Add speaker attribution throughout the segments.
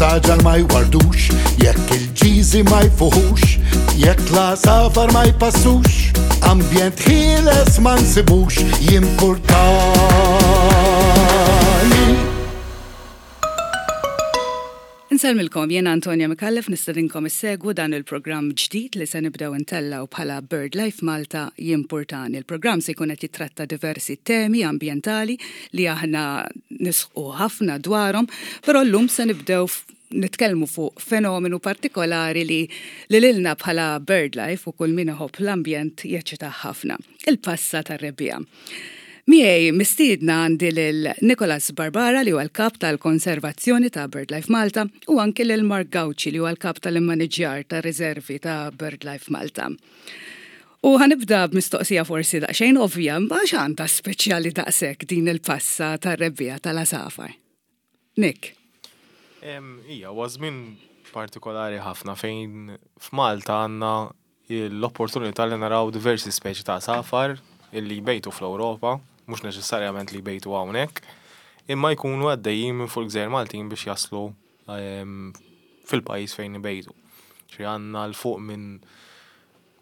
Speaker 1: is-saġar ma jwardux, jekk il-ġiżi ma jfuħux, jekk l-għasafar ma jpassux, ambjent ħieles ma nsibux, jimpurtani.
Speaker 2: Insellmilkom, jiena Antonia Micallef nistedinkom issegwu dan il-programm ġdid li se nibdew intellgħu bħala BirdLife Malta Jimpurtani. Il-programm se jkun qed jittratta diversi temi ambjentali li aħna nisħqu ħafna dwarhom, però llum se nibdew nitkellmu fuq fenomenu partikolari li li lilna bħala BirdLife u kull min iħobb l-ambjent jeċċitah ħafna, il-passa tar-rebbiegħa. Miegħi mistiedna għandi lil Nicholas Barbara li huwa l-Kap tal-Konservazzjoni ta' BirdLife Malta u anki lil Mark Gauci li huwa l-Kap tal-Immaniġġjar tar-Riservi ta' BirdLife Malta. U ħa nibda b'mistoqsija forsi daqsxejn ovvja, imma x'għandha speċjali daqshekk din il-passa tar-rebbiegħa tal-għasafar? Nick.
Speaker 3: Ija, huwa żmien partikolari ħafna fejn f'Malta għandna l-opportunità li naraw diversi speċi ta' għasafar illi jbejtu fl-Ewropa, mhux neċessarjament li jbejtu hawnhekk, imma jkunu għaddejjin minn fuq il-gżejjer Maltin biex jaslu fil-pajjiż fejn ibejtu. Ġifieri għandna 'l fuq minn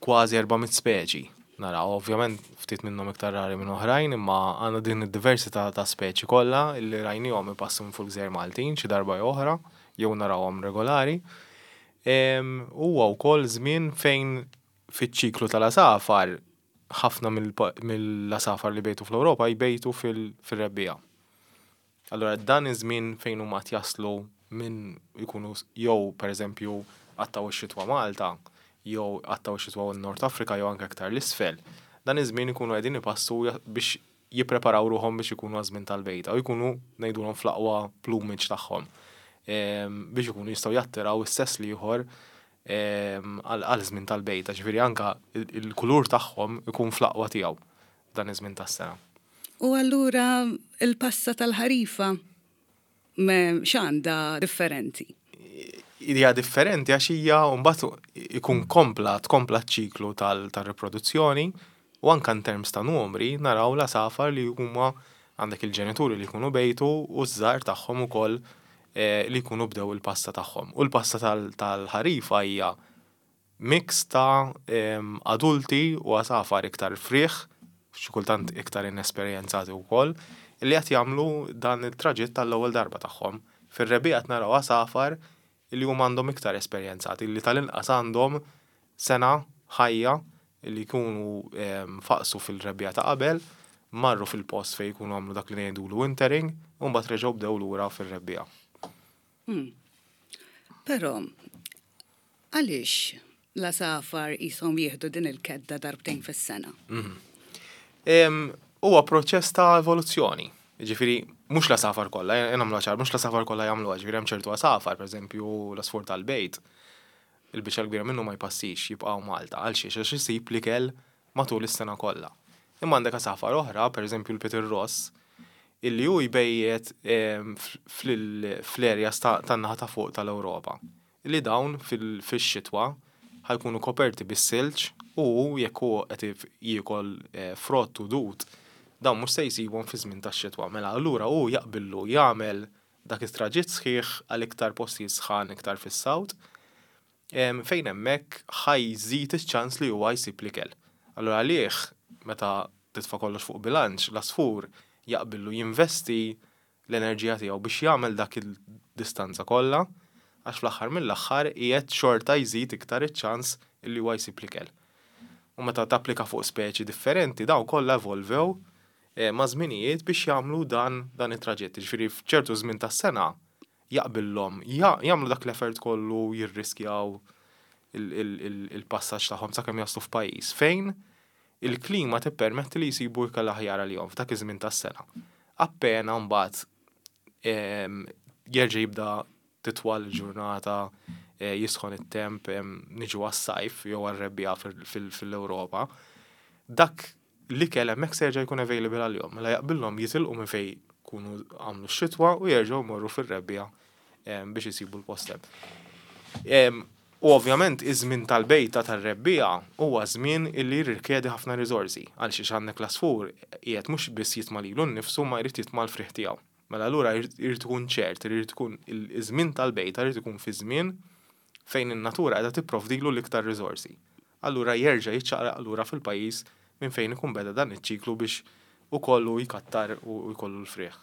Speaker 3: kważi 400 speċi naraw, ovvjament ftit minnhom iktar rari minn oħrajn, imma għandna din id-diversità ta' speċi kollha li rajnihom ipassu minn fuq il-gżejjer Maltin xi darba jew oħra, jew narawhom regolari. Huwa wkoll żmien fejn fiċ-ċiklu tal-għasafar ħafna mill-għasafar li jbejtu fl-Ewropa jbejtu fil-rebbiegħa. Allura dan iż-żmien fejn huma qed jaslu minn jkunu jew pereżempju qattgħu x-xitwa Malta, jew qattgħu x-xitwa n-Nord Afrika jew anke aktar 'l isfel, dan iż-żmien ikunu qegħdin ipassu biex jippreparaw ruħhom biex ikunu għaż-żmien tal-bejta u jkunu ngħidulhom fl-aqwa plumage tagħhom biex ikunu jistgħu jattiraw is-sess l-ieħor għal żmien tal-bejta, ġifieri anke l-kulur tagħhom ikun fl-aqwa tiegħu dan iż-żmien tas-sena.
Speaker 2: U allura l-passa tal-ħarifa x'għandha differenti?
Speaker 3: Hija differenti għax hija mbagħad ikun kompla tkompla ċ-ċiklu tar-riproduzzjoni u anke in terms ta' numri naraw l-għasafar li huma għandek il-ġenituri li jkunu bejtu u ż-żgħar tagħhom ukoll li jkunu bdew il-passa tagħhom. U l-passa tal-ħarifa hija Mix ta' adulti u għasafar iktar frieħ, xi kultant iktar inesperjenzati wkoll, li qed jagħmlu dan it-traġitt għall-ewwel darba tagħhom. Fir-rebbiegħa qed naraw għasafar li huma għandhom iktar esperjenzati, li tal-inqas għandhom sena ħajja li jkunu faqsu fil-rebbiegħa ta' qabel, marru fil-post fejn jkunu għamlu dak li ngħidulu wintering u mbagħad reġgħu bdew lura fir-rebbiegħa.
Speaker 2: Però Għaliex l-għasafar qishom jieħdu din il-kedda darbtejn fis-sena?
Speaker 3: Huwa proċess ta' evoluzzjoni. Jiġifieri mhux l-għasafar kollha, nagħmluha ċar, mhux l-għasafar kollha jagħmluha, jiġifieri hemm ċertu għasafar, pereżempju l-għasfur tal-bejt, il-biċċa l-kbira minnu ma jpassix, jibqa' hawn Malta. Għalxiex? Għax isib l-ikel matul is-sena kollha. Imma għandek għasafar oħra, pereżempju l-pitirross, illi hu jbejjet fl-areas tan-naħa ta' fuq tal-Ewropa. Li dawn fix-xitwa ħa jkunu koperti bis-silġ u hu jekk hu qed jiekol frott u dud, dawn mhux se jsibhom fiż-żmien tax-xitwa. Mela allura hu jaqbillu jagħmel dak it-traġitt sħiħ għal iktar postijiet sħan iktar fis-south fejn hemmhekk ħa jżid iċ-ċans li huwa jsib l-ikel. Allura għalih meta titfa' kollox fuq bilanċ, l-għasfur jaqbillu jinvesti l-enerġija tiegħu biex jagħmel dak il-distanza kollha għax fl-aħħar mill-aħħar qiegħed xorta jżid iktar iċ-ċans illi huwa jsib l-ikel. U meta tapplika fuq speċi differenti dawn kollha evolvew maż-żminijiet biex jagħmlu dan dan it-traġitt. Jiġifieri f'ċertu żmien tas-sena jaqbillhom jagħmlu dak l-effort kollu jirriskjaw il-passaġġ tagħhom sakemm jaslu f'pajjiż fejn il-klima tippermetti li jsibu ikel aħjar għalihom f'dak iż-żmien tas-sena. Appena mbagħad jerġa' jibda titwal il-ġurnata, jisħon it-temp, niġu għas-sajf jew għar-rebbiegħa fil-Ewropa, dak l-ikel hemmhekk se jerġa' jkun available għalihom. Mela jaqbillhom jitilqu minn fejn jkunu għamlu x-xitwa u jerġgħu jmorru fir-rebbiegħa biex isibu l-post hemm. U ovvjament iż-żmien tal-bejta tar-rebbiegħa huwa żmien illi jirrikjedi ħafna riżorsi. Għalxiex għandek l-għasfur qiegħed mhux biss jitma' lilu nnifsu ma jrid jitma' l-frieħ tiegħu. Mela allura jrid ikun ċert, irid ikun iż-żmien tal-bejta jrid ikun fi żmien fejn in-natura qiegħda tipprovdilu l-iktar riżorsi. Allura jerġa' jiċċaqlaq lura fil-pajjiż minn fejn ikun beda dan iċ-ċiklu biex ukoll hu jkattar u jkollu l-frieħ.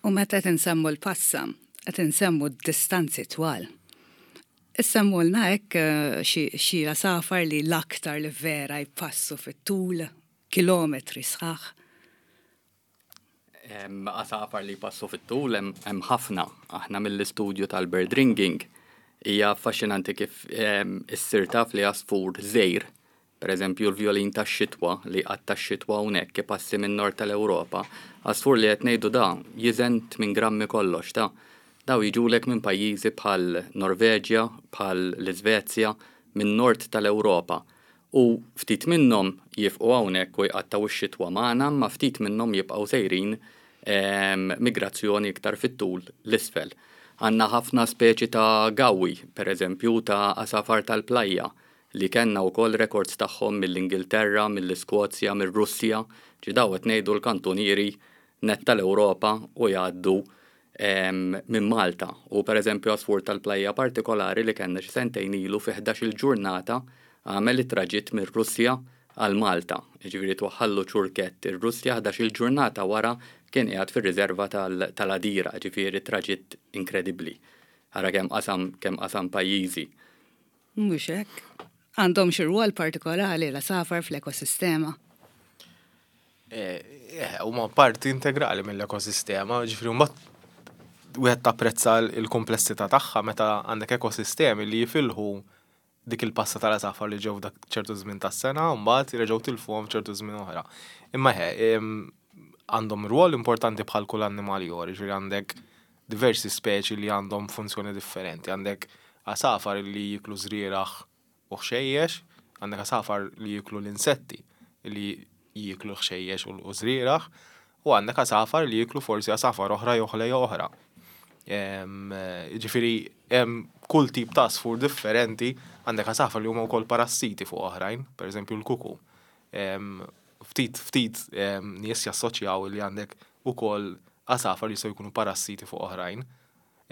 Speaker 2: U meta qed insemmu l-passa, qed insemmu distanzi twal. Issemmulna hekk xi għasafar li l-aktar li vera jpassu fit-tul, kilometri sħaħ?
Speaker 4: Għasafar li jpassu fit-tul hemm ħafna. Aħna mill-istudju tal-bird ringing hija affaxxinanti kif issir taf li għasfur żgħir, pereżempju l-vjolin tax-xitwa li jqatta' x-xitwa hawnhekk ipassi min-nord tal-Ewropa, għasfur li qed ngħidu da jiżen tmien grammi kollox ta'. Daw jiġulek minn pajjiżi bħal Norveġja, bħal l-Iżvezja, min-nord tal-Ewropa. U ftit minnhom jifqu hawnhekk u jqattgħu x-xitwa magħna imma ftit minnhom jibqgħu sejrin migrazzjoni iktar fit-tul 'l isfel. Għandna ħafna speċi ta' gawwi, per eżempju, ta' għasafar tal-plajja li kellna wkoll rekords tagħhom mill-Ingilterra, mill-Iskozja, mir-Russja, ġi daw qed ngħidu l-kantunieri nett tal-Ewropa u jgħaddu minn Malta. U pereżempju għasfur tal-plajja partikolari li kellna xi sentejn ilu fi 11-il ġurnata għamel it-traġitt mir-Russja għal Malta. Jiġifieri twaħħallu ċurkett ir-Russja 11-il ġurnata wara kien qiegħed fir-riserva tal-Għadira, jiġifieri traġitt inkredibbli. Ara kemm qasam kemm qasam pajjiżi.
Speaker 2: Mhux hekk? Għandhom xi rwol partikolari l-għasafar fl-ekosistema?
Speaker 3: Eh, huma parti integrali mill-ekosistema, ġifieri mbagħad wieħed tapprezza l-komplessità tagħha meta għandek ekosistemi li jifilħu dik il-passa tal-għasafar li ġew dak ċertu żmien tas-sena u mbagħad jerġgħu tilfuhom f'ċertu żmien oħra. Imma eħe, għandhom rwol importanti bħal kull annimal ieħor, jiġifieri għandek diversi speċi li għandhom funzjoni differenti. Għandek għasafar li jiklu żrieragħ u ħxejjex, għandek għasafar li jieklu l-insetti li jieklu l-ħxejjex u żrieragħ, u għandek għasafar li jieklu forsi għasafar oħra jew ħlejja oħra. Jiġifieri hemm kull tip ta' għasfur differenti, għandek għasafar li huma wkoll parassiti fuq oħrajn, pereżempju l-kuku. Ftit ftit nies jassoċjaw li għandek ukoll għasafar li jistgħu jkunu parassiti fuq oħrajn.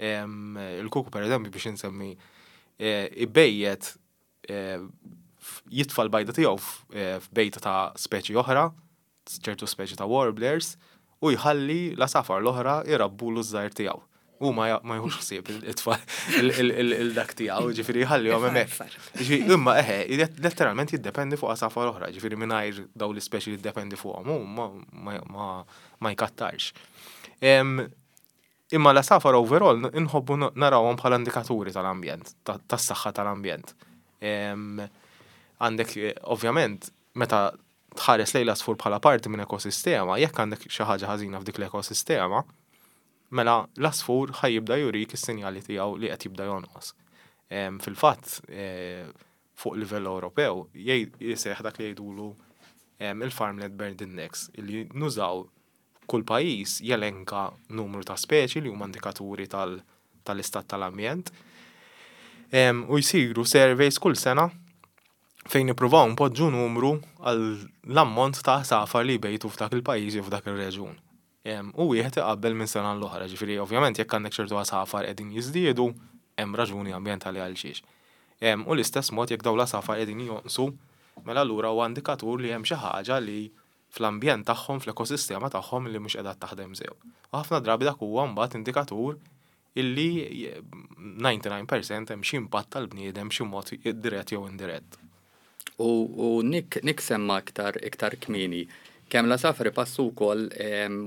Speaker 3: Il-kuku pereżempju biex insemmi eh, ibejjet eh, jitfa' l-bajda tiegħu eh, f'bejta ta' speċi oħra, ċertu speċi ta' warblers, u jħalli l-għasafar l-oħra jrabbulu ż-żgħir tiegħu. U ma jħux ħsieb it-tfal il-dak tiegħu, ġifieri jħallihom hemmhekk. Ġifieri imma eħe, letteralment jiddependi fuq għasafar oħra, ġifieri mingħajr dawn l-ispeċi li jiddependi fuqhom hu ma jkattarx. Imma l-għasafar overall inħobbu narawhom bħala indikaturi tal-ambjent, tas-saħħa tal-ambjent. Għandek, ovvjament, meta tħares lejn l-għasfur bħala parti minn ekosistema, jekk għandek xi ħaġa ħażina f'dik l-ekosistema, mela l-għasfur ħa jibda jurik is-sinjali tiegħu li qed jibda jonqos. Fil-fatt, fuq livell Ewropew, jseħħ dak li jgħidulu il-Farmland Bird Index, li nużaw Kull pajjiż jelenka numru ta' speċi li huma indikaturi tal-istat tal-ambjent. U jsiru surveys kull sena fejn nippruvaw npoġġu numru għal l-ammont ta' għasafar li jbejtu f'dak il-pajjiż jew f'dak ir-reġjun. U wieħed iqabbel minn sena l-oħra, ġifieri ovvjament jekk għandek ċertu għasafar qegħdin jiżdiedu, hemm raġuni ambjentali għal xiex. U l-istess mod jekk dawn l-għasafar qegħdin jonqsu, mela allura huwa indikatur li hemm xi ħaġa li fl-ambjent tagħhom, fl-ekosistema tagħhom li mhux qiegħda taħdem sew. U ħafna drabi dak huwa mbagħad indikatur illi 99% hemm xi impatt tal-bniedem b'xi mod dirett jew indirett.
Speaker 4: U, u Nick, Nick semma iktar, iktar kmieni kemm l-għasafar ipassu wkoll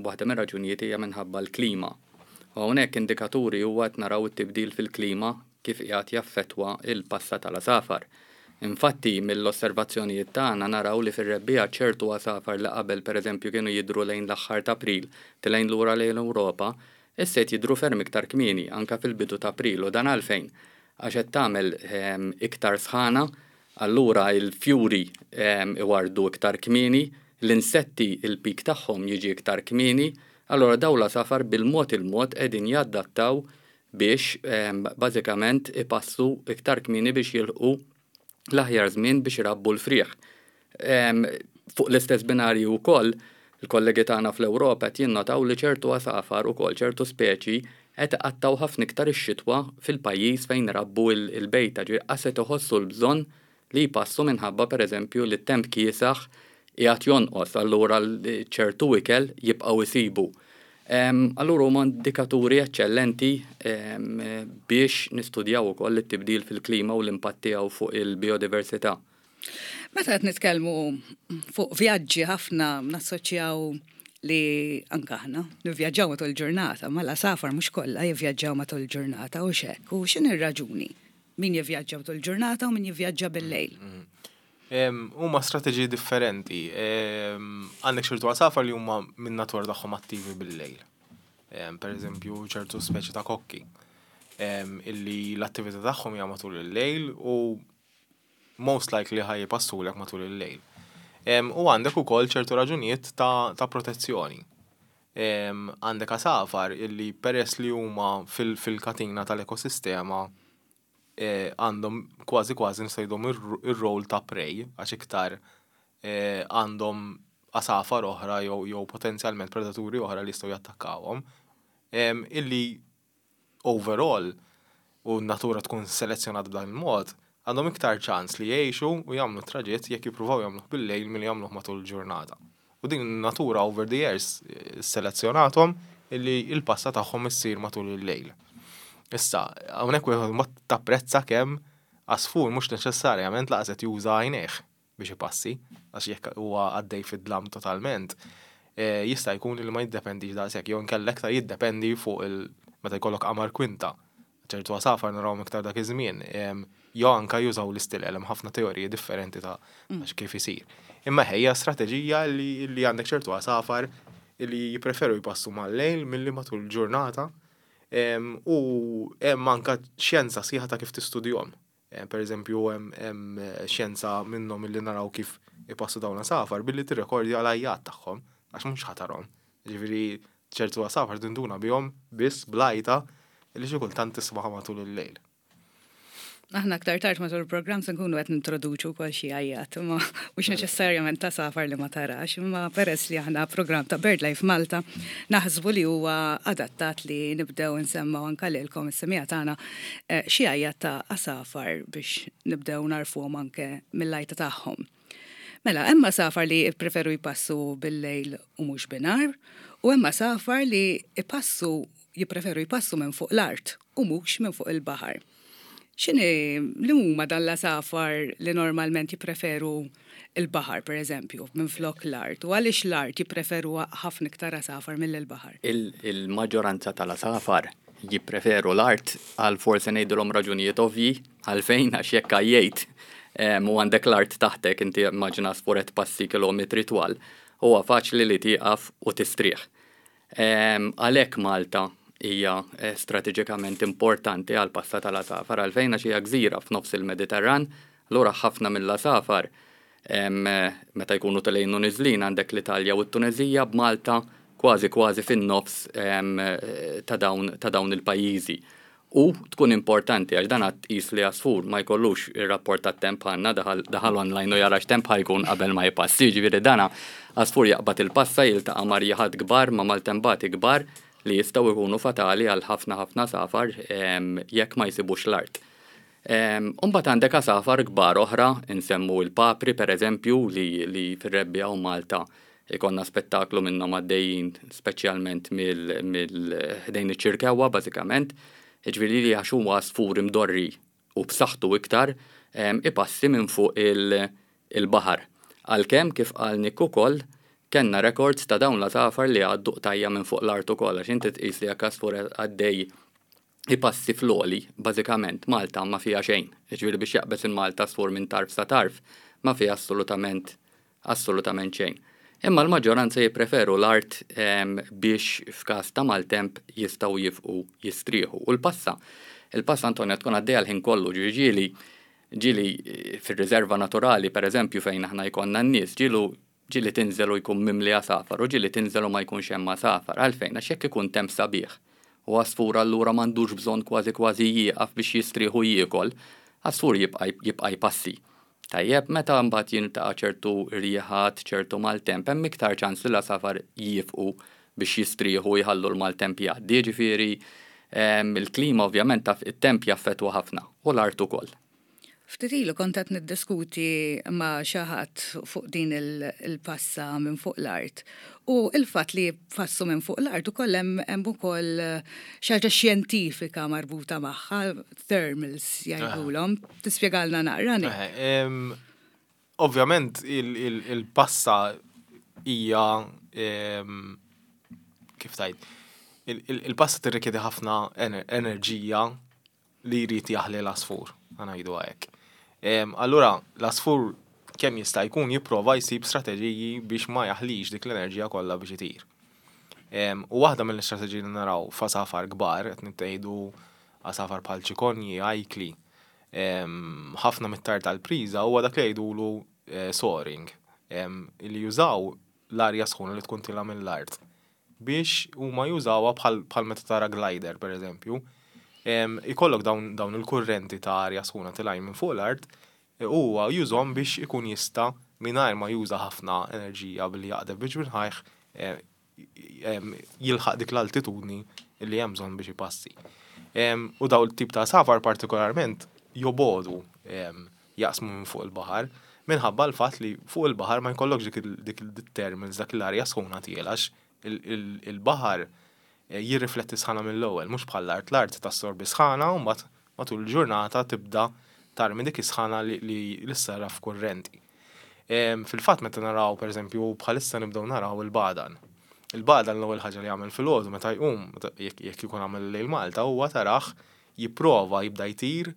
Speaker 4: waħda mir-raġunijiet hija minħabba l-klima. U hawnhekk indikaturi huwa qed naraw it-tibdil fil-klima kif qiegħed jaffettwa l-passa tal-għasafar. Infatti, mill-osservazzjonijiet tagħna naraw li fir-rebbiegħa ċertu għasafar li qabel pereżempju kienu jidhru lejn l-aħħar t'April tilgħin lura lejn l-Ewropa, issa qed jidhru ferm iktar kmieni, anke fil-bidu t'April u dan għalfejn? Għax qed tagħmel iktar sħana, allura l-fjuri iwarrdu iktar kmieni, l-insetti l-peak tagħhom jiġi iktar kmieni, allura dawn l-għasafar bil-mod il-mod qegħdin jadattaw biex bażikament ipassu iktar kmieni biex jilħqu l-aħjar żmien biex irabbu l-frieħ. Fuq l-istess binarju wkoll Il-kollegi tagħna fl-Ewropa qed jinnotaw li ċertu għasafar ukoll ċertu speċi qed iqattgħu ħafna iktar ix-xitwa fil-pajjiż fejn irabbu l-bejta, ġifieri qas qed iħossu l-bżonn li jpassu minħabba pereżempju li t-temp kiesaħ qiegħed jonqos, allura ċertu ikel jibqgħu jsibu. Allura huma indikaturi eċċellenti biex nistudjaw ukoll it-tibdil fil-klima u l-impatt tiegħu fuq il-bijodiversità.
Speaker 2: Meta qed nitkellmu fuq vjaġġi ħafna nassoċjaw li anke aħna nivvjaġġaw matul il-ġurnata, ma l-għasafar mhux kollha jivvjaġġaw matul il-ġurnata u x'hekk. U x'inhi r-raġuni? Min jivvjaġġa matul il-ġurnata u min jivvjaġġa bil-lejl?
Speaker 3: Huma strateġiji differenti. Għandek ċertu għasafar li huma min-natura tagħhom attivi bil-lejl. Per eżempju, ċertu speċi ta' kokki illi l-attività tagħhom hija matul il-lejl u most likely ħa jpassulek matul il-lejl. U għandek ukoll ċertu raġunijiet ta' protezzjoni. Għandek għasafar illi peress li huma fil-katina tal-ekosistema eh, għandhom kważi kważi nistgħu ir-rol ta' prey għax iktar eh, għandhom għasafar oħra jew potenzjalment predaturi oħra li jistgħu jattakkawhom. Illi overall u n-natura tkun selezzjonat b'dan il-mod, għandhom iktar ċans li jgħixu u jagħmlu traġitt jekk jippruvaw jagħmluh bil-lejl milli jagħmluh matul il-ġurnata. U din in-natura over the years selezzjonathom illi il-passa tagħhom issir matul il-lejl. Issa, hawnhekk wieħed ma tapprezza kemm għasfur mhux neċessarjament lanqas qed juża għajnejh biex ipassi, għax jekk huwa għaddej fid-dlam totalment, eh, jista' jkun li ma jiddependix daqshekk, jew inkella iktar jiddependi fuq il meta jkollok qamar kwinta. Ċertu għasafar narawhom iktar dak iż-żmien, jew anka jużaw l-istilel, hemm ħafna teoriji differenti ta' kif isir. Imma ħejja strateġija li għandek ċertu għasafar li jippreferu jpassu mal-lejl milli matul il-ġurnata u hemm anka xjenza sħiħa ta' kif tistudjahom. Per eżempju, hemm xjenza minnhom illi naraw kif ipassu dawn għasafar billi tirrekordja l-għajjat tagħhom għax mhux ħa tarahom. Ġifieri ċertu għasafar tinduna bihom biss bl-għajta li xi kultant tismaha matul il-lejl.
Speaker 2: Aħna aktar tard matul il-programm se nkunu qed nintroduċu wkoll xi għajjat, imma mhux neċessarjament ta' għasafar li ma tarax, imma peress li aħna programm ta' BirdLife Malta, naħsbu li huwa adattat li nibdew nsemmaw anka lilkom is-semija tagħna eh, xi għajjat ta' għasafar biex nibdew narfuhom anke mill-għajta tagħhom. Mela, hemm għasafar li jippreferu jpassu bil-lejl u mhux binhar, u hemm għasafar li jpassu jippreferu jpassu minn fuq l-art u mhux minn fuq il-baħar. X'inhi li huma dan l-għasafar li normalment jippreferu il-baħar, per eżempju, minn flok l-art, u għaliex l-art jippreferuha ħafna iktar għasafar mill-baħar?
Speaker 4: Il-maġġoranza tal-għasafar jippreferu l-art għal forsi ngħidulhom raġunijiet ovvji għalfejn għax jekk għajjejt u għandek l-art taħtek inti immaġina għasfur qed tpassi kilometri twal, huwa faċli li tieqaf u tistrieħ. Għalhekk Malta hija eh, strateġikament importanti għal passa tal-għasafar għalfejn għax hija gżira f'nofs il-Mediterran, allura ħafna mill-għasafar meta jkunu telgħin u niżlin għandek l-Italja u t-Tunezija b'Malta kważi kważi fin-nofs ta' dawn ta' dawn il-pajjiżi. U tkun importanti għax dan għad tqis li għasfur ma jkollux ir-rapport tat-temp bħalna daħal daħal online u jara x'temp ħa jkun qabel ma jpassi, jiġifieri dana għasfur jaqbad il-passa jiltaqa' ma' rjiħat kbar, ma' maltembati kbar li jistgħu jkunu fatali għal ħafna ħafna għasafar jekk ma jsibux l-art. U mbagħad għandek għasafar kbar oħra, insemmu l-papri pereżempju li li fir-rebbiegħa u Malta Ikollna spettaklu minnhom għaddejjin speċjalment mill ħdejn iċ-Ċirkewwa bażikament. Jiġifieri li għax huwa għasfur imdorri u b'saħħtu iktar ipassi minn fuq il-baħar. Għalkemm kif qal Nick ukoll kellna records ta' dawn l-għasafar li jgħaddu qtajja' minn fuq l-art ukoll għax inti tqis li jekk għasfur għaddej ipassi fl-għoli, bażikament Malta ma fiha xejn. Jiġifieri biex jaqbeż il-Malta għasfur minn tarf sa tarf ma fiha assolutament assolutament xejn. Imma l-maġġoranza jippreferu l-art biex f'każ ta' maltemp jistgħu jifqu jistrieħu. U l-passa, il-passa Antonia tkun għaddejja l-ħin kollu, ġifieri ġieli ġieli fir-riserva naturali pereżempju fejn aħna jkollna n-nies, ġielu ġieli tinżel u jkun mimli għasafar u ġieli tinżel u ma jkunx hemm għasafar. Għalfejn? Għax jekk ikun temp sabiħ u għasfur allura m'għandux bżonn kważi kważi jieqaf biex jistrieħ u jiekol, għasfur jibqa' jibqa' jpassi. Tajjeb, meta mbagħad jiltaqa' ċertu rjiħat, ċertu maltemp, hemm iktar ċans li l-għasafar jiefqu biex jistrieħu u jħallu l-maltemp jgħaddi. Jiġifieri il-klima ovvjament taf it-temp jaffettwa ħafna u l-art ukoll.
Speaker 2: Ftit ilu kont qed niddiskuti ma' xi ħadd fuq din il-passa minn fuq l-art u l-fatt li jpassu minn fuq l-art ukoll hemm hemm ukoll xi ħaġa xjentifika marbuta magħha, thermals jgħidulhom. Tispjegalna naqra?
Speaker 3: Ovvjament il-passa hija kif tgħid, il-passa tirrikjedi ħafna enerġija li jrid jaħli l-għasfur, ħa ngħiduha hekk. Allura l-għasfur kemm jista' jkun jipprova jsib strateġiji biex ma jaħlix dik l-enerġija kollha biex itir. U waħda mill-istrateġiji li naraw f'għasafar kbar, qed ngħidu għasafar bħal ċikonji, ajkli, ħafna mit-tar tal-priża huwa dak li jgħidulu eh, soaring, li jużaw l-arja sħuna li tkun tilha mill-art biex huma jużawha bħal bħal meta tara glider pereżempju. Ikollok dawn dawn il-kurrenti ta' arja sħuna tilgħin minn fuq l-art u huwa jużhom biex ikun jista' mingħajr ma juża ħafna enerġija billi jaqdef bi ġwinħajh jilħaq dik l-altitudni li hemm bżonn biex ipassi. U dawn it-tip ta' għasafar partikolarment jobogħdu jaqsmu minn fuq il-baħar minħabba l-fatt li fuq il-baħar ma jkollokx dik dik il-thermals, dak l-arja sħuna tiela għax il-baħar eh, jirrifletti sħana mill-ewwel, mhux bħall-art, l-art tassorbi sħana u mbagħad matul il-ġurnata tibda tarmi dik is-sħana li ssarraf f'kurrenti. Fil-fatt meta naraw pereżempju bħalissa nibdew naraw il-bagħdan. Il-bagħdan l-ewwel ħaġa li jagħmel filgħodu meta jqum, jekk ikun għamel lejl Malta, huwa tarah jipprova jibda jtir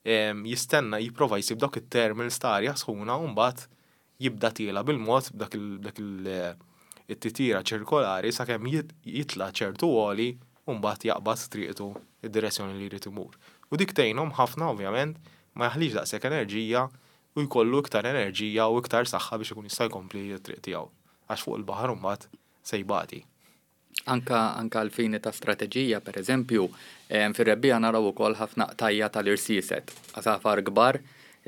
Speaker 3: jistenna jipprova jsib dawk it-thermals ta' arja sħuna u mbagħad jibda tiela' bil-mod b'dak it-titjira ċirkolari sakemm jitla' ċertu għoli u mbagħad jaqbad triqtu id-direzzjoni li jrid imur. U dik tgħinhom ħafna ovvjament ma jaħlix daqshekk enerġija u jkollu iktar enerġija u iktar saħħa biex ikun jista' jkompli t-triq tiegħu għax fuq il-baħar imbagħad se jbati.
Speaker 4: Anka anka għall-fini ta' strateġija, per eżempju, fir-rebbiegħa naraw ukoll ħafna qtajja' tal-irsieset, għasafar kbar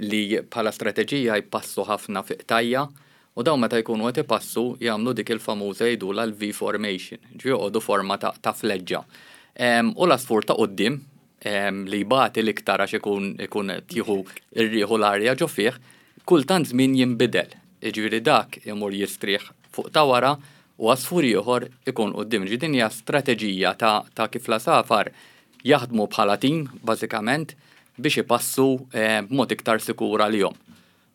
Speaker 4: li bħala strateġija jpassu ħafna fi qtajja' u dawn meta jkunu qed ipassu jagħmlu dik il-famuża jgħidulha l-V formation, ġifieri joqogħdu forma ta' ta' fleġġa. U l-għasfur ta' quddiem li jbati l-iktar għax ikun ikun qed jieħu r-riħ u l-arja ġo fih, kultant żmien jinbidel. Jiġifieri dak imur jistrieħ fuq ta' wara u għasfur ieħor ikun quddiem. Ġifieri din hija strateġija ta' ta' kif l-għasafar jaħdmu bħala tim bażikament biex ipassu eh, b'mod iktar sikur għalihom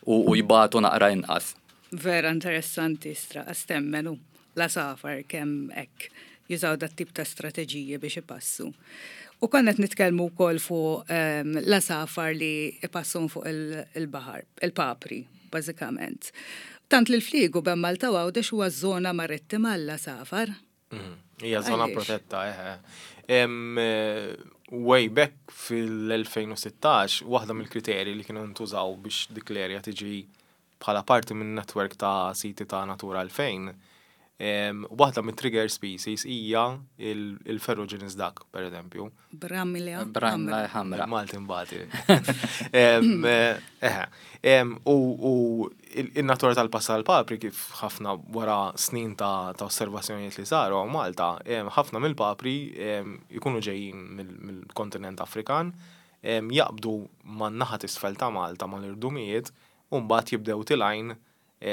Speaker 4: u, u jbatu naqra inqas.
Speaker 2: Vera interessanti stra temmen hu l-għasafar kemm hekk jużaw dat tip ta' strateġiji biex ipassu. U konna qed nitkellmu wkoll fuq ehm, l-għasafar li ipassu fuq il-baħar, il-papri, bażikament. Tant li l-fliegu bejn Malta u Għawdex huwa żona marittima għall-għasafar.
Speaker 3: Mhm. Hija żona protetta, eħe. Eh, way back fil-2016, waħda mill-kriterji li kienu ntużaw biex dik l-erja tiġi bħala parti minn netwerk ta' siti ta' Natura 2000, waħda mit-trigger species hija il-ferruginous duck, per eżempju.
Speaker 2: Bramla.
Speaker 4: Bramla ħamra.
Speaker 3: Malti mbati. U il-natura tal-passa tal-papri kif ħafna wara snin ta' osservazzjonijiet li saru Malta, ħafna mill-papri jkunu ġejjin mill-kontinent Afrikan, jaqbdu man-naħa t'isfel ta' Malta mal-irdumijiet u mbagħad jibdew tilgħin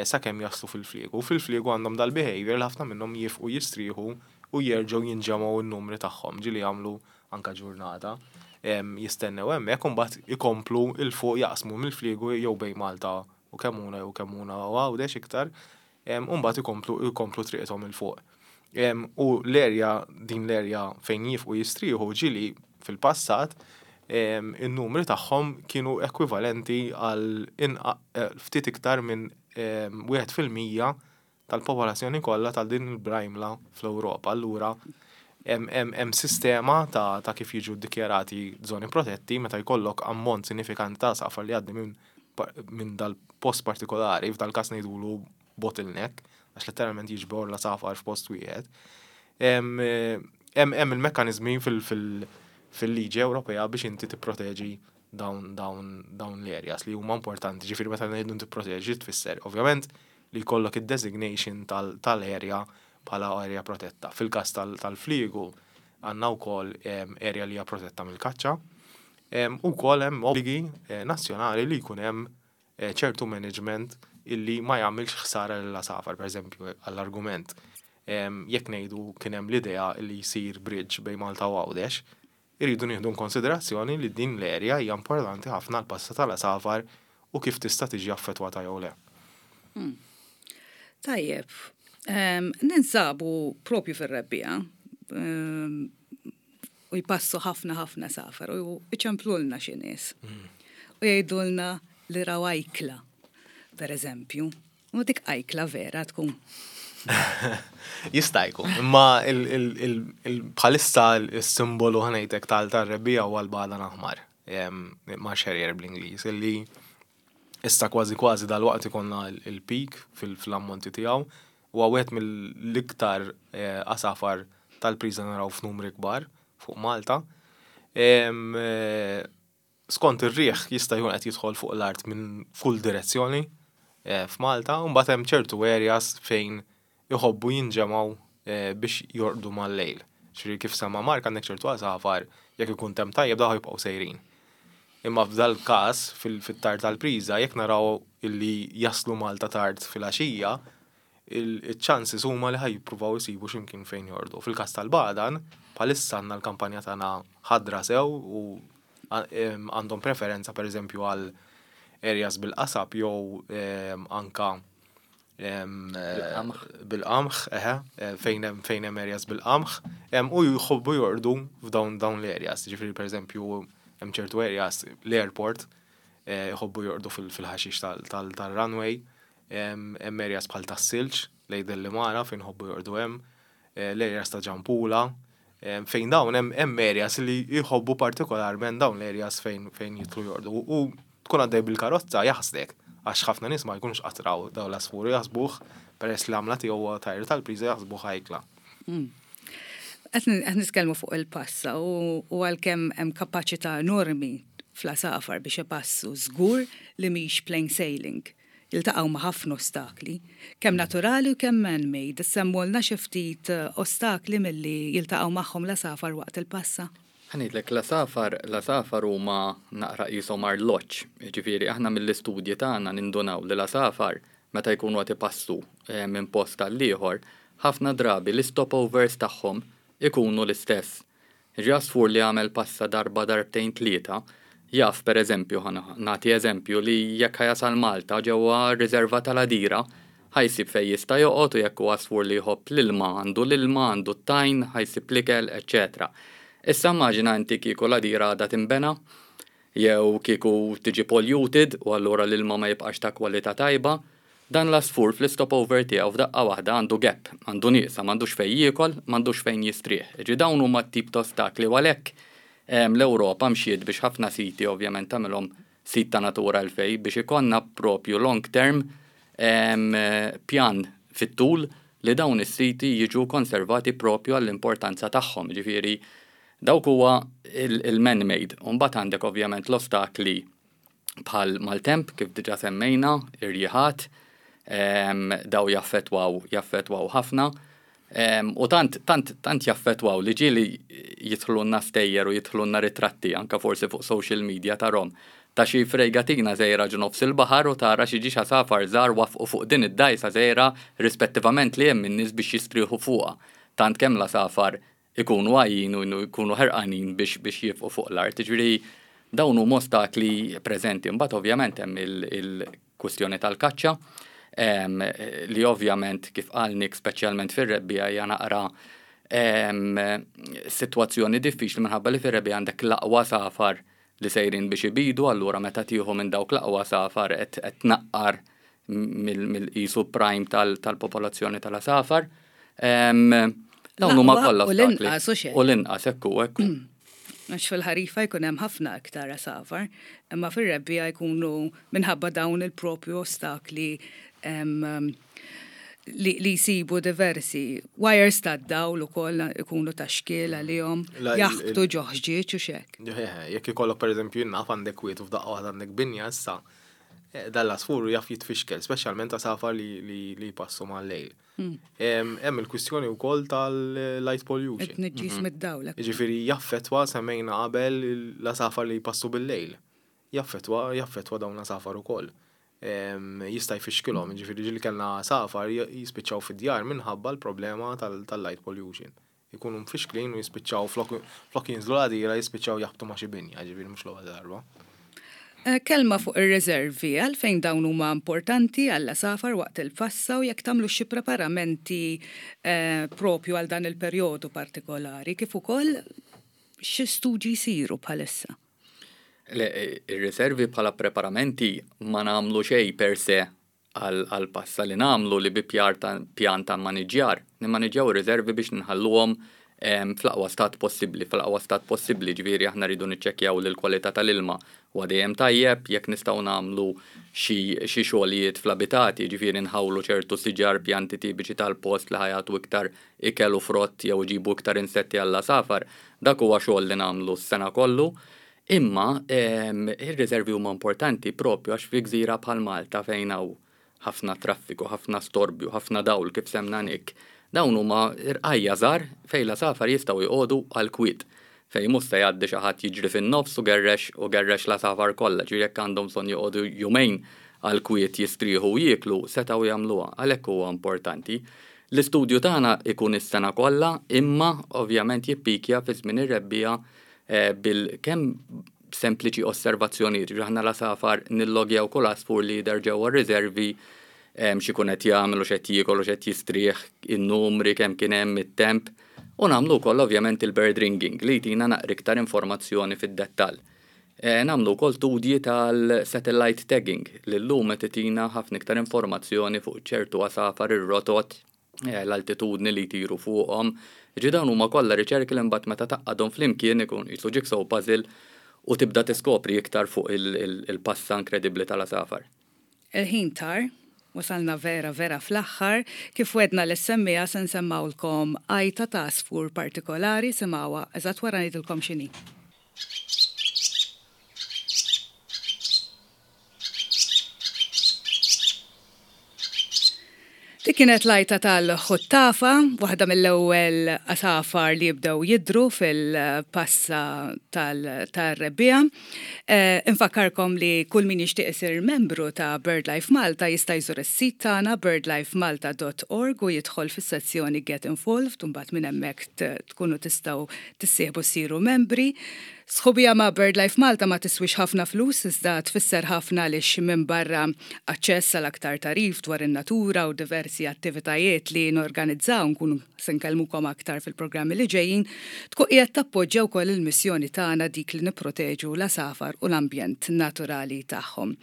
Speaker 3: sakemm jaslu fil-fliegu. U fil-fliegu għandhom dal-behavior li ħafna minnhom jifqu jistrieħu u jerġgħu jinġemgħu n-numri tagħhom, ġieli jagħmlu anke ġurnata jistennew hemmhekk u mbagħad ikomplu 'l fuq jaqsmu mill-fliegu jew bejn Malta u Kemmuna jew Kemmuna u Għawdex iktar u mbagħad ikomplu jkomplu triqithom 'il fuq. U l-area, din l-area fejn jifqu jistrieħu ġieli fil-passat in-numri tagħhom kienu ekwivalenti għal eh, ftit iktar minn 1% tal-popolazzjoni kollha ta' din il-brajmla fl-Ewropa. Allura hemm sistema ta', ta kif jiġu ddikjarati żoni protetti meta jkollok ammont sinifikanti ta' safar li għaddi minn min dal-post partikolari, f'dal każ ngħidulu bottleneck, għax letteralment jiġbor l-għasafar f'post wieħed. Hemm il-mekkaniżmi fil-liġi Ewropea biex inti tipproteġi dawn dawn dawn l-areas li huma importanti, ġifieri meta ngħidu tipproteġi tfisser ovvjament li jkollok id-designation tal-area bħala area protetta. Fil-każ tal-fliegu għandna wkoll area li hija protetta mill-kaċċa. U wkoll hemm obbligi eh, nazzjonali li jkun hemm eh, ċertu management illi ma jagħmilx ħsara lill-għasafar, pereżempju għall-argument. Jekk ngħidu kien hemm l-idea li jsir bridge bejn Malta u Għawdex, irridu nieħdu konsiderazzjoni li din l-area hija importanti ħafna għall-passa tal-għasafar u kif tista' tiġi affettwata jew le.
Speaker 2: Tajjeb, ninsabu propju fir-rebbiegħa u jpassu ħafna ħafna għasafar u iċemplulna xi nies. U jgħidulna li raw ajkla, per eżempju. U dik ajkla vera tkun.
Speaker 3: Jista' jkun, imma bħalissa il-simbolu ħa ngħidlek tal-rebbiegħa huwa l-bagħdan aħmar, marsh harrier bl-Ingliż, illi issa kważi kważi dal-waqt ikollna il-peak fil-ammonti tiegħu u wieħed mill-iktar għasafar tal-priża naraw f'numri kbar fuq Malta. Skont ir-riħ jista' jkun qed jidħol fuq l-art minn kull direzzjoni f'Malta, u mbagħad hemm ċertu areas fejn iħobbu jinġemgħu biex jorqdu mal-lejl. Ġifieri kif semma Mark għandek ċertu għasafar jekk ikun temp tajjeb dawn jibqgħu sejrin. Imma f'dal każ fit-tard tal-priża jekk naraw illi jaslu Malta tard fil-għaxija, il-chances huma li ħa jippruvaw isibu x'imkien fejn jorqdu. Fil-każ tal-bagħdan, bħalissa għandna l-kampanja tagħna ħadra sew u għandhom preferenza per eżempju għal areas bil-qasab jew anka bil-qamħ, eħe, fejn hemm areas bil-qamħ, u jħobbu jorqdu f'dawn dawn l-areas. Ġifieri per eżempju hemm ċertu areas l-airport jħobbu jorqdu fil-ħaxix tal-runway, hemm areas bħal tas-silġ lejn Delimara fejn jħobbu jorqdu hemm, l-areas ta' Ġampula, fejn dawn hemm areas li jħobbu partikolarment dawn l-areas fejn jidħlu jorqdu. U tkun għaddej bil-karozza jaħsdek, għax ħafna nies ma jkunux qatt raw dawn l-għasfur u jaħsbuh peress li għamla tiegħu huwa tajr tal-priża jaħsbuh ajkla.
Speaker 2: Qed nitkellmu fuq il-passa u għalkemm hemm kapaċità enormi fl-għasafar biex ipassu żgur li mhix plain sailing. Jiltaqgħu ma' ħafna ostakli, kemm naturali u kemm man-made. Semmulna xi ftit ostakli milli jiltaqgħu magħhom l-għasafar waqt il-passa.
Speaker 4: Ħa ngħidlek l-għasafar huma naqra qishom arloġġ. Ġifieri aħna mill-istudji tagħna nindunaw li l-għasafar meta jkunu qed ipassu minn post għal ieħor, ħafna drabi l-stopovers tagħhom ikunu l-istess. Ġi għasfur li għamel passa darba darbtejn tlieta, jaf per eżempju, nagħti eżempju li jekk ħa jasal Malta ġewwa r-riserva tal-Għadira, ħa jsib fejn jista' joqgħod u jekk hu għasfur li jħobb l-ilma, għandu l-ilma, għandu t-tajn, ħa jsib l-ikel, eċċetera. Issa immaġina inti kieku l-Għadira għadha tinbena, jew kieku tiġi polluted u allura l-ilma ma jibqax ta' kwalità tajba, dan l-għasfur fl-stopover tiegħu f'daqqa waħda għandu gap, għandu nieqsa, m'għandux fejn jiekol, m'għandux fejn jistrieħ. Ġi dawn huma t-tip ta' ostakli u għalhekk l-Ewropa mxiet biex ħafna siti ovvjament tagħmilhom sit ta' Natura 2000 biex ikollna propju long term pjan fit-tul li dawn is-siti jiġu konservati propju għall-importanza tagħhom. Ġifieri dawk huwa il-man-made. Mbagħad għandek ovvjament l-ostakli bħal maltemp kif diġà semmejna, irjiħat, daw jaffetwaw jaffetwaw ħafna. U tant, tant, tant jaffetwaw li ġieli jidħlulna stejjer u jidħlulna ritratti anka forsi fuq social media tarahom ta' xi frejgatina żgħira ġo nofs il-baħar u tara xi ġiex għasafar żgħar wafqu fuq din id-dgħajsa żgħira rispettivament li hemm in-nies biex jistrieħu fuqha. Tant kemm l-għasafar ikunu għajjin u jkunu ħerqanin biex jifqu fuq l-art. Ġifieri dawn huma ostakli preżenti. Imbagħad ovvjament hemm il-kwistjoni tal-kaċċa li ovvjament kif qal Nick speċjalment fir-rebbiegħa hija naqra sitwazzjoni diffiċli minħabba li fir-rebbiegħa għandek l-aqwa għasafar li sejrin biex ibidu, allura meta tieħu minn dawk l-aqwa għasafar qed tnaqqar mill-qisu prime tal-popolazzjoni tal-għasafar. Dawn huma kollha
Speaker 2: U l-inqas u xejn.
Speaker 4: U l-inqas, ekku, ekku.
Speaker 2: Għax fil-ħarifa jkun hemm ħafna iktar għasafar, imma fir-rebbiegħa jkunu minħabba dawn il-propju ostakli. li jsibu diversi wires tad-dawl ukoll ikunu ta' xkiel għalihom, jaħbtu ġo ħġieġ u x'hekk.
Speaker 3: Jekk ikollok pereżempju jien naf għandek kwiet u f'daqqa waħda għandek binja issa, dan l-għasfur jaf jitfixkel, speċjalment għasafar li jpassu mal-lejl. Hemm il-kwistjoni wkoll tal-light pollution.
Speaker 2: It-tniġġis mid-dawl.
Speaker 3: Jiġifieri jaffettwa semmejna qabel l-għasafar li jpassu bil-lejl. Jaffettwa jaffettwa dawn l-għasafar ukoll. Jista' jfixkilhom, jiġifieri ġieli kellna għasafar jispiċċaw fid-djar minħabba l-problema tal-light pollution. Ikunu mfixklin u jispiċċaw flok jinżlu l-għadira jispiċċaw jaħbtu ma' xi binja, jiġifieri mhux l-ewwel darba.
Speaker 2: Kelma fuq ir-riservi, għalfejn dawn huma importanti għall-għasafar waqt il-passa u jekk tagħmlux xi preparamenti propju għal dan il-perjodu partikolari, kif ukoll xi studji jsiru bħalissa?
Speaker 4: Le, ir-riservi bħala preparamenti ma nagħmlu xejn per se għall-passa li nagħmlu li bi pjan ta' mmaniġġjar. Nimmaniġġjaw ir-riservi biex nħalluhom fl-aqwa stat possibbli, fl-aqwa stat possibbli, ġifieri aħna rridu niċċekkjaw li l-kwalità tal-ilma huwa dejjem tajjeb, jekk nistgħu nagħmlu xi xi xogħlijiet fl-abitati, ġifieri nħawlu ċertu siġar, pjanti tipiċi tal-post li ħa jagħtu iktar ikel u frott jew iġibu iktar insetti għall-għasafar, dak huwa xogħol li nagħmlu s-sena kollu. Imma ir-riservi huma importanti propju għax fi gżira bħal Malta fejn hawn ħafna traffiku, ħafna storbju, ħafna dawl kif semna Nick, dawn huma rqajja' żgħar fejn l-għasafar jistgħu jqogħdu għall-kwiet, fejn mhux se jgħaddi xi ħadd jiġri fin-nofs u gerrex u gerrex l-għasafar kollha, ġifieri jekk għandhom bżonn joqogħdu jumejn għall-kwiet jistrieħu u jieklu, setgħu jagħmluha, għalhekk huwa importanti. L-istudju tagħna ikun is-sena kollha imma ovvjament jippikja fi żmien ir-rebbiegħa bil kemm sempliċi osservazzjonijiet, ġifieri aħna l-għasafar nillogjaw kull għasfur li jidher ġewwa r-riservi x'ikun qed jagħmel u x'qed jiekol u x'qed jistrieħ, in-numri, kemm kien hemm, it-temp, u nagħmlu wkoll ovvjament il-bird ringing li jtina naqra iktar informazzjoni fid-dettall. Nagħmlu wkoll studji tal-satellite tagging li llum qed itina ħafna iktar informazzjoni fuq ċertu għasafar, ir-rotot, l-altitudni li jtiru fuqhom. Jiġifieri dawn huma kollha riċerki li mbagħad meta tgħaqqadhom flimkien ikun qisu jigsaw puzzle u tibda tiskopri iktar fuq il-passa inkredibbli tal-għasafar.
Speaker 2: Il-ħin tar, wasalna vera vera fl-aħħar, kif wegħdna lis-semmiegħa se nsemmgħulkom għajta ta' għasfur partikolari, simgħuha eżatt wara ngħidilkom x'inhi. Dik kienet l-għajta tal-ħuttafa, waħda mill-ewwel għasafar li jibdew jidhru fil-passa tal-rebbiegħa. Eh, infakkarkom li kull min jixtieq isir membru ta' BirdLife Malta jista' jżur is-sit tagħna birdlifemalta.org u jidħol fis-sezzjoni Get Involved u mbagħad minn hemmhekk tkunu tistgħu tissieħbu ssiru membri. Sħubija ma' BirdLife Malta ma tiswix ħafna flus iżda tfisser ħafna għaliex minbarra aċċess għal aktar tagħrif dwar in-natura u diversi attivitajiet li norganizzaw, nkunu se nkellmukom aktar fil-programmi li ġejjin, tkun qiegħed tappoġġja wkoll il-missjoni tagħna dik li nipproteġu l-għasafar u l-ambjent naturali tagħhom.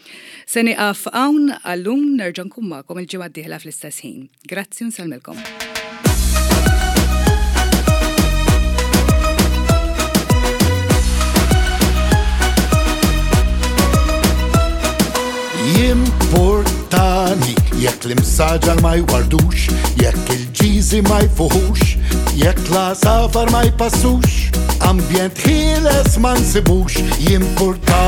Speaker 2: Se nieqaf hawn għal-lum nerġa' nkun magħkom il-ġimgħa d-dieħla fl-istess ħin. Grazzi u nsellmilkom.
Speaker 1: Jimportani jekk l-imsaġar ma jwardux, jekk il-ġiżi ma jfuħux, jekk l-għasafar ma jpassux, ambjent ħieles ma nsibux, jimportani.